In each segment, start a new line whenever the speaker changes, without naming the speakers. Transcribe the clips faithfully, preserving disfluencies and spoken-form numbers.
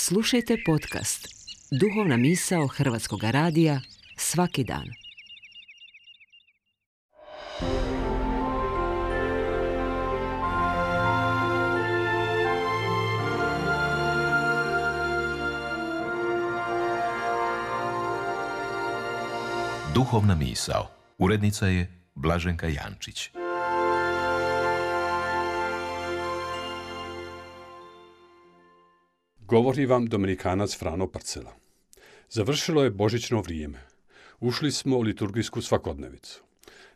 Slušajte podcast Duhovna misao Hrvatskog radija svaki dan.
Duhovna misao. Urednica je Blaženka Jančić.
Govori vam Dominikanac Frano Parcela. Završilo je božićno vrijeme. Ušli smo u liturgijsku svakodnevicu.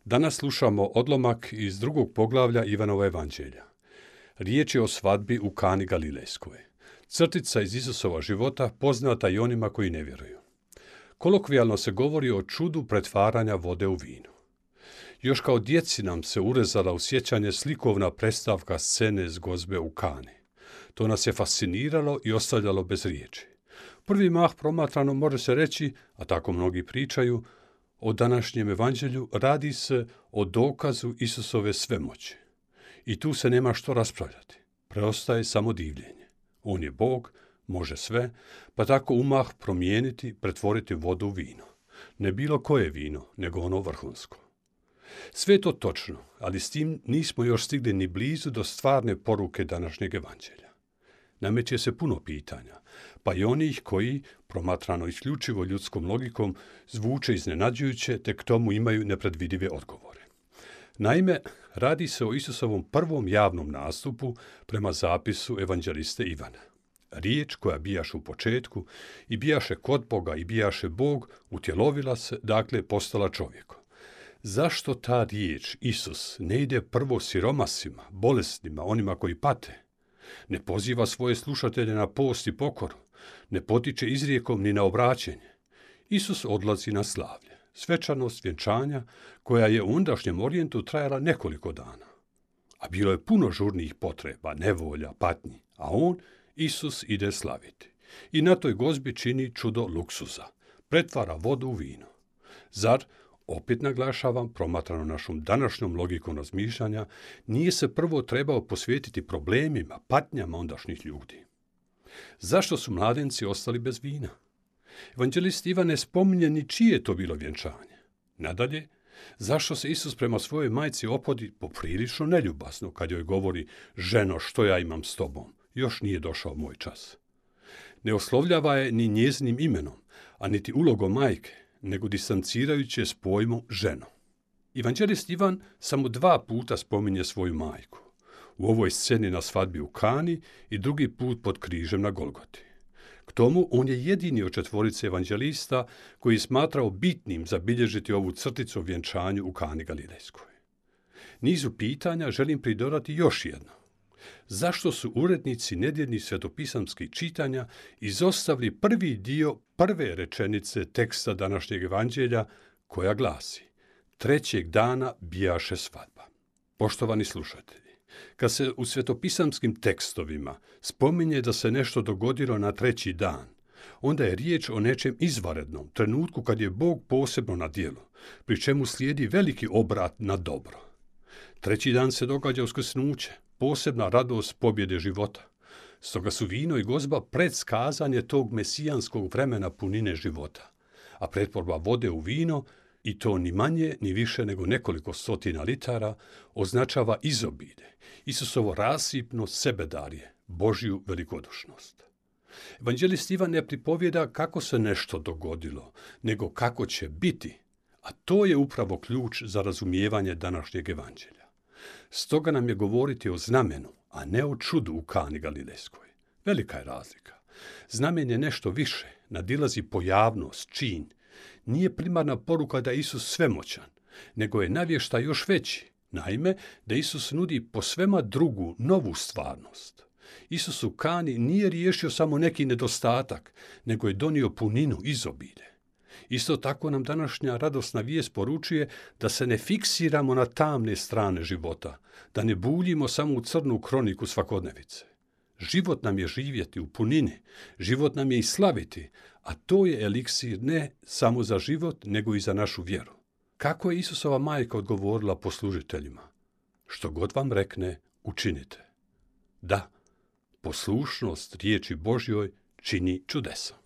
Danas slušamo odlomak iz drugog poglavlja Ivanova evanđelja. Riječ je o svadbi u Kani Galilejskoj. Crtica iz Isusova života poznata i onima koji ne vjeruju. Kolokvijalno se govori o čudu pretvaranja vode u vino. Još kao djeci nam se urezala u sjećanje slikovna predstavka scene s gozbe u Kani. To nas je fasciniralo i ostavljalo bez riječi. Prvi mah promatrano može se reći, a tako mnogi pričaju, o današnjem evanđelju radi se o dokazu Isusove svemoći. I tu se nema što raspravljati. Preostaje samo divljenje. On je Bog, može sve, pa tako umah promijeniti, pretvoriti vodu u vino. Ne bilo koje vino, nego ono vrhunsko. Sve je to točno, ali s tim nismo još stigli ni blizu do stvarne poruke današnjeg evanđelja. Nameće se puno pitanja, pa i onih koji, promatrano isključivo ljudskom logikom, zvuče iznenađujuće te k tomu imaju nepredvidive odgovore. Naime, radi se o Isusovom prvom javnom nastupu prema zapisu evanđeliste Ivana. Riječ koja bijaše u početku i bijaše kod Boga i bijaše Bog, utjelovila se, dakle postala čovjekom. Zašto ta riječ, Isus, ne ide prvo siromasima, bolesnima, onima koji pate? Ne poziva svoje slušatelje na post i pokoru, ne potiče izrijekom ni na obraćenje. Isus odlazi na slavlje, svečanost vjenčanja koja je u ondašnjem orijentu trajala nekoliko dana. A bilo je puno žurnih potreba, nevolja, patnji, a on, Isus, ide slaviti. I na toj gozbi čini čudo luksuza, pretvara vodu u vino. Zar, opet naglašavam, promatrano našom današnjom logikom razmišljanja, nije se prvo trebao posvetiti problemima, patnjama ondašnjih ljudi? Zašto su mladenci ostali bez vina? Evanđelist Ivan ne spominje ni čije je to bilo vjenčanje. Nadalje, zašto se Isus prema svojoj majci opodi poprilično neljubazno kad joj govori: ženo, što ja imam s tobom, još nije došao moj čas. Ne oslovljava je ni njezinim imenom, a niti ulogom majke, nego distancirajući s pojmom ženo. Evanđelist Ivan samo dva puta spominje svoju majku. U ovoj sceni na svadbi u Kani i drugi put pod križem na Golgoti. K tomu on je jedini od četvorice evanđelista koji je smatrao bitnim zabilježiti ovu crticu o vjenčanju u Kani Galilejskoj. Nizu pitanja želim pridodati još jedno. Zašto su urednici nedjeljnih svetopisamskih čitanja izostavili prvi dio prve rečenice teksta današnjeg evanđelja koja glasi: trećeg dana bijaše svadba. Poštovani slušatelji, kad se u svetopisamskim tekstovima spominje da se nešto dogodilo na treći dan, onda je riječ o nečem izvanrednom, trenutku kad je Bog posebno na djelu, pri čemu slijedi veliki obrat na dobro. Treći dan se događa uskrsnuće, posebna radost pobjede života. Stoga su vino i gozba predskazanje tog mesijanskog vremena punine života, a pretvorba vode u vino, i to ni manje ni više nego nekoliko stotina litara, označava izobilje, Isusovo rasipno sebedarje, Božju velikodušnost. Evanđelist Ivan ne pripovjeda kako se nešto dogodilo, nego kako će biti, a to je upravo ključ za razumijevanje današnjeg evanđelja. Stoga nam je govoriti o znamenu, a ne o čudu u Kani Galilejskoj. Velika je razlika. Znamen je nešto više, nadilazi pojavnost, čin. Nije primarna poruka da je Isus svemoćan, nego je navještaj još veći. Naime, da Isus nudi posvema drugu, novu stvarnost. Isus u Kani nije riješio samo neki nedostatak, nego je donio puninu, izobilje. Isto tako nam današnja radosna vijest poručuje da se ne fiksiramo na tamne strane života, da ne buljimo samo u crnu kroniku svakodnevice. Život nam je živjeti u punini, život nam je i slaviti, a to je eliksir ne samo za život, nego i za našu vjeru. Kako je Isusova majka odgovorila poslužiteljima? Što god vam rekne, učinite. Da, poslušnost riječi Božjoj čini čudesa.